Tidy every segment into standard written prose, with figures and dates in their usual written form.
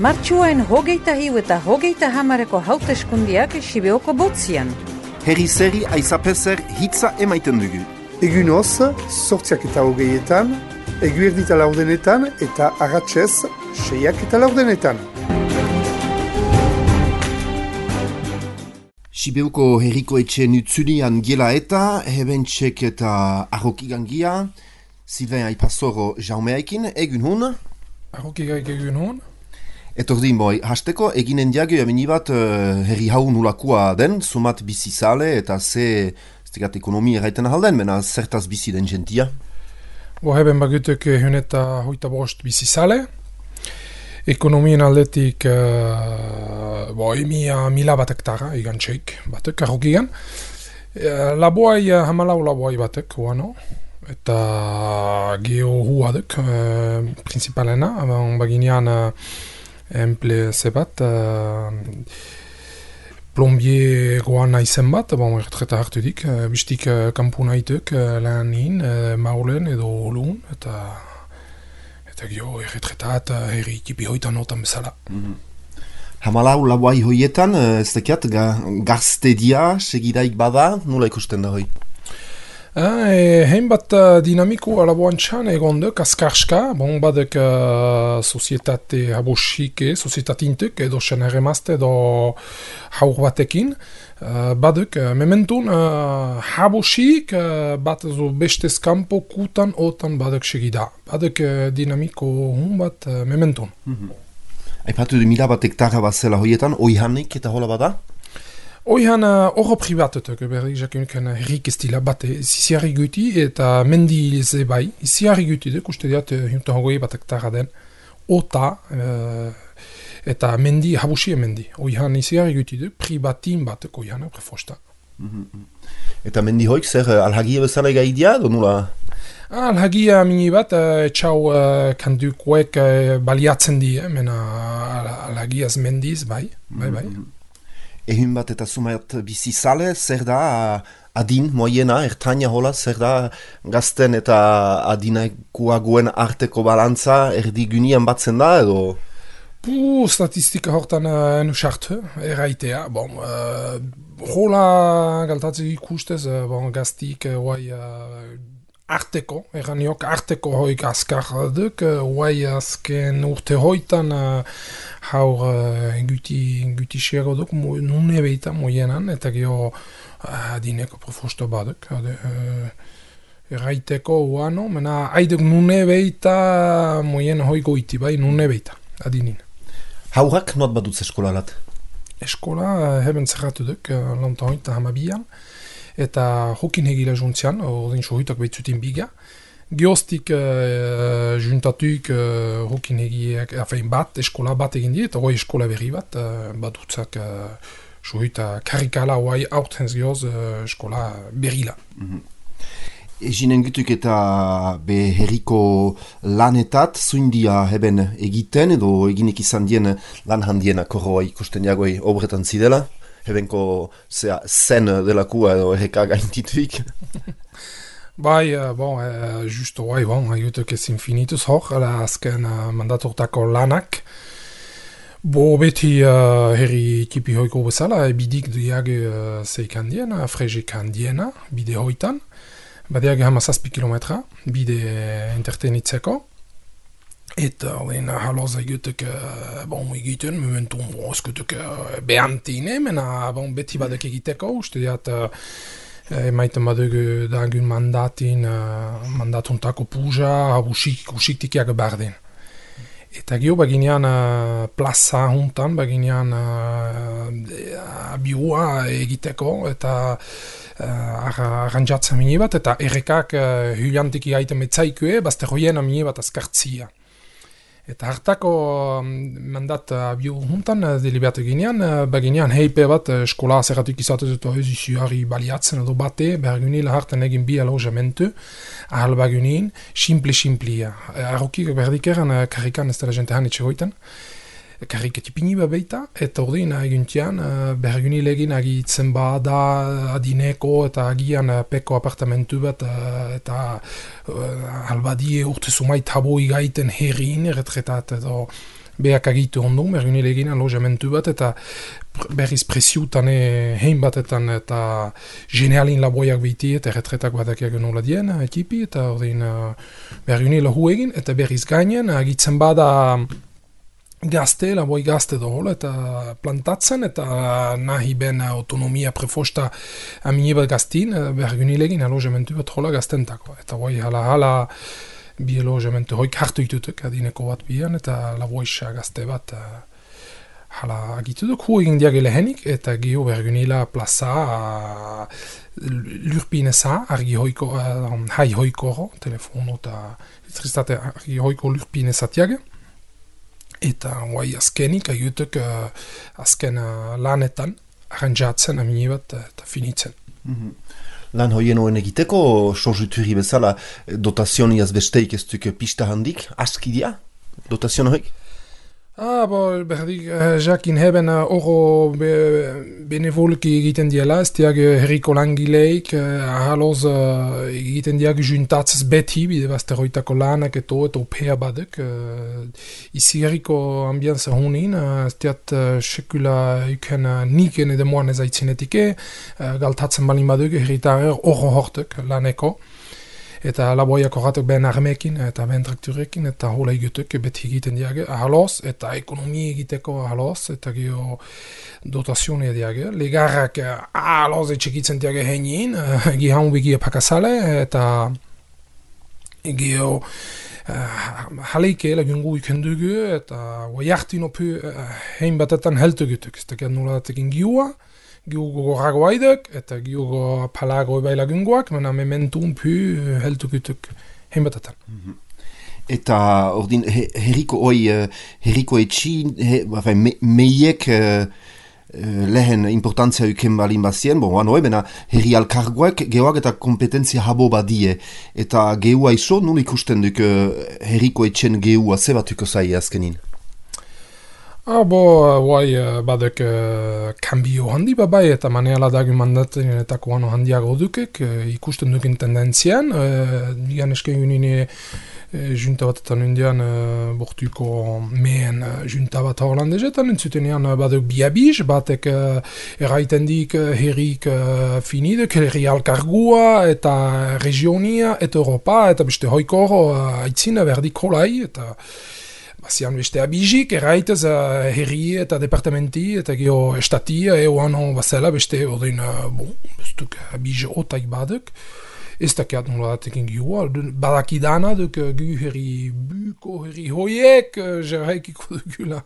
Martxuain hogeita hiu eta hogeita hamareko hauteskundiak Sibeoko botzian. Herri zeri aizapezer hitza emaiten dugu. Egunoz, 8:20, eguerdita laurdenetan eta arratsez 6:40. Sibeuko herriko etxeen utzulian gela eta hebentsek eta arrokigangia, Sylvain Aipazoro jaumeaikin, egun hon? Arrokigaik egun hon? Etordin boi, hasteko eginen diagio amini bat herri hau nulakua den, sumat bizi zale eta ze stegat ekonomia erraiten ahalden, mena zertaz bizi den jentia? Heben bagutek huneta hoita bost bizi zale. Ekonomien aldetik mila bat hektara egan txeik batek, arrokigan. Laboai, hamalau laboai batek, uano. Eta geho huadek, principalena, baginean emple zebat, plombier goan izen bat, erretreta hartu dik, bistik kampu nahitek lanin, maulen edo olun, eta geho erretretat herri tipi hoitan otan bezala. Hamalau laboai hoietan, ez dekiat, gaztedia segidaik bada, nula ikusten da hoi? Hein bat dinamiko alaboan txan egon duk, askarska, badek sozietate habosik, sozietate intek, edo sen erremazte, edo haur batekin, badek, mementun habosik, bat zo bestez kampo kutan otan badek segida. Badek dinamiko hun bat mementun. Aipatu du mila bat hektara bat zela hoietan, oihanik eta hola bada? Oihan horro privatetek, berdik jakunuken herrik ez dila bate, ziziarri guti eta mendi ze bai, ziziarri guti duk, uste diat, juntan hogei bat hektara den, ota eta mendi, habusien mendi. Oihan ziziarri guti duk, privatin batek oihan, prefosta. Eta mendi hoik, zer alhagia bezala egaidia, do nula? Alhagia mini bat, etxau kandukoek baliatzen di, mena alhagiaz mendiz, bai. Ehun bat eta sumat bizi zale, zer da adin, moiena, ertaina hola, zer da gazten eta adinakuaguen arteko balantza erdigunian batzen da, edo? Statistika hortan enusartu, erraitea. Hola galtatzen ikustez, gaztik arteko, erraniok arteko hoik askar duk, azken urte hoitan haur guti xero duk, nune beita moienan, eta geho adineko profosto baduk. Erraiteko uano, mena haiduk nune beita moien hoi goiti bai, nune beita, adinin. Haurak not badutz eskolalat? Eskola heben zerratu duk, lantan hoita hamabian, eta hokin hegila juntzian, ordin sohuitak behitzutin biga. Geostik juntatuk hokin hegiak, bat, eskola bat egin di, eta hoi eskola berri bat, badutzak sohuita karikala hoai aurtenz geoz eskola berrila. Eginen gutuk eta herriko lanetat, zuindia heben egiten, edo eginek izan dien lan handienak horroa ikusten jagoi obretan zidela? Hebenko zen delakua edo erreka gaintituik. Bai, justo bai, haigutuk ez infinituz hor, azken mandatortako lanak. Beti herri tipi hoiko bezala, bidik duiag zeikan diena, frejekan diena, bide hoitan. Badiag hamazazpi kilometra, bide entretenitzeko. Eta haloz egutek egiten, mementun eskutuk behantine, mena beti badek egiteko, uste diat emaiten baduk dagun mandatuntako puja, usiktikiak barden. Eta gio baginean plaza juntan, baginean biua egiteko, eta arrantzatzen mini bat, eta errekak hyliantiki gaiten metzaikue, bazte hoien mini bat azkartzia. Eta hartako mandat bio juntan deliberatu ginean, baginean heipe bat eskola zerratuk izatez eta ez izuari baliatzen edo bate, bergunil hartan egin bi alojamentu, ahal bagunin, simple-simplia. Arrokik berdik eran karrikan ez dela jente hanitxe goiten, karrik etipini beita, eta ordin eguntian bergunil egin agitzen bada adineko eta agian peko apartamentu bat eta albadie urte sumait habo igaiten herrin erretretat edo behak agitu ondun, bergunilegin alojamentu bat, eta berriz presiutan hein batetan, eta genealin laboiak biti, eta erretretak badakiak nola dien, ekipi, eta ordin bergunile hu egin, eta berriz gainen, agitzen bada gazte, laboi gazte dohola, eta plantatzen, eta nahi ben autonomia prefosta amine bat gaztin, bergunilegin alojamentu bat hola gaztentako, eta boi hala bi alojamentu hoik hartu itutuk, adineko bat bian, eta laboisa gazte bat hala agituduk, hu egin diagele henik, eta gio bergunila plaza lurpineza, argi hoiko, hai hoiko, telefono eta elektriztate argi hoiko lurpinezatiage, eta guai azkenik agiutuk azken lanetan arrantzatzen amine bat eta finitzen. Lan hoien hoen egiteko, sorzuturi bezala, dotazioniaz besteik ez duk pista handik, askidia, dotazion hoik? Berdik, jakin heben oro benevolki egiten diela, ez diag herriko langileik, ahaloz egiten diag juntatzez beti, bide bazteroitako lanak eta opea badek. Izi herriko ambianza honin, ez diat sekula iken niken edemoan ez aitzinetike, galtatzen balin baduk herritarer oro hortek laneko. Eta laboiak horretak ben armekin, eta ben trakturekin, eta hola egitek beti egiten diage, ahaloz, eta ekonomia egiteko ahaloz, eta geho dotazioa diage. Legarrak ahaloz etxekitzen diage heinin, gihan begia pakasale, eta geho haleike lagungu ikendugu, eta guaiartin opu hein batetan heltu egitek, ez da noladatekin giua, giugo ragoaidek, eta giugo palago bailagungoak, mena mementun pu heltukutuk heimbatetan. Eta ordin herriko etxin, meiek lehen importantzia uken balin bazien, bena herri alkargoak geoak eta kompetentzia habo badie, eta geua iso, nun ikusten duk herriko etxen geua zebatuko zai azkenin? Badek kambio handi babai eta maneala dagu mandaten eta koano handiago dukek, ikusten duken tendentzian, digan esken unine junta batetan indian bortuko mehen junta bat holandezetan, entzutenean badek biabiz, batek erraiten dik herrik finidek, herri alkargua eta regionia eta Europa, eta beste hoiko aitzina berdik holai, eta bazian beste abizik, erraitez herri eta departamenti, eta geho estatia, eoan bazela, beste odin, bestuk abiz otaik badek, ez dakiat nola datekin gioa, badakidana duk gu herri buko, herri hoiek, jerraikiko dugula,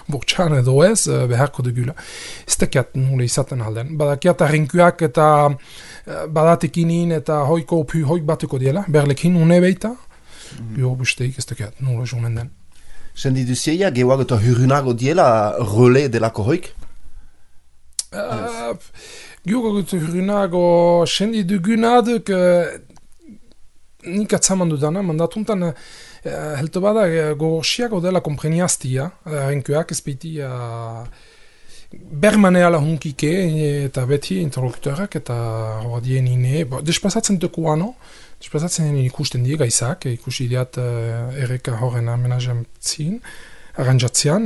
bortxan edo ez, beharko dugula. Ez dakiat nola izaten alden. Badakiat arrinkuak eta badatekinin eta hoiko opu hoik batuko diela, berlekin une beita, gio besteik ez dakiat nola jomen den. Sendi duzieia, gehuak eta hurunago diela role delako hoik? Giogo eta hurunago sendi dugunaduk nik atzaman dudana, mandatuntan helto bada gogorxiago dela kompreniaztia, renkuak ez beti bermaneala hunkike eta beti interlokutorak eta hodien ine, despasatzen dukuano, despasatzen ikusten die gaizak, ikusi diat erreka horren amenajantzin, arranjatzean,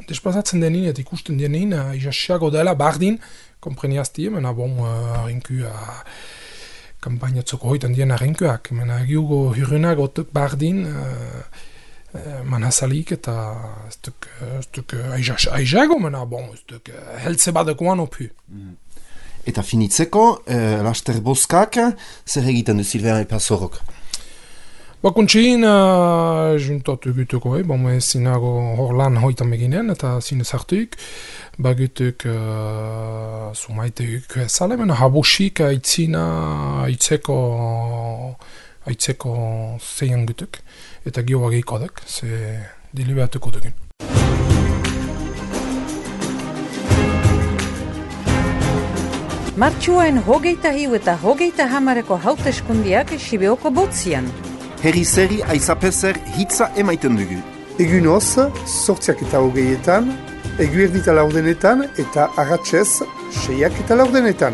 despasatzen denin eta ikusten denin, izasiago dela bardin, kompreniazti, mena harinku kampainatzoko hoitan dien harrinkuak, mena giugo hirunago tuk bardin, manhazalik eta ez duk aizago, mena ez duk heltze badekoan opu. Eta finitzeko, laster boskak, zer egiten du Silvean Epazorok? Bakuntxein, juntatu gutuko, zinago hor lan hoitan beginen, eta zinez hartuik, bagutuk sumaitek ezale, mena habosik aitzeko zeian gutuk, eta gioa gehikodek, ze deliberatuko dugun. Martxuaen 21 eta 30 hauteskundiak Sibeoko botzian. Herri zeri aizapezer hitza emaiten dugu. Egunoz, 8:20, eguerdita laurdenetan eta arratsez 6:40.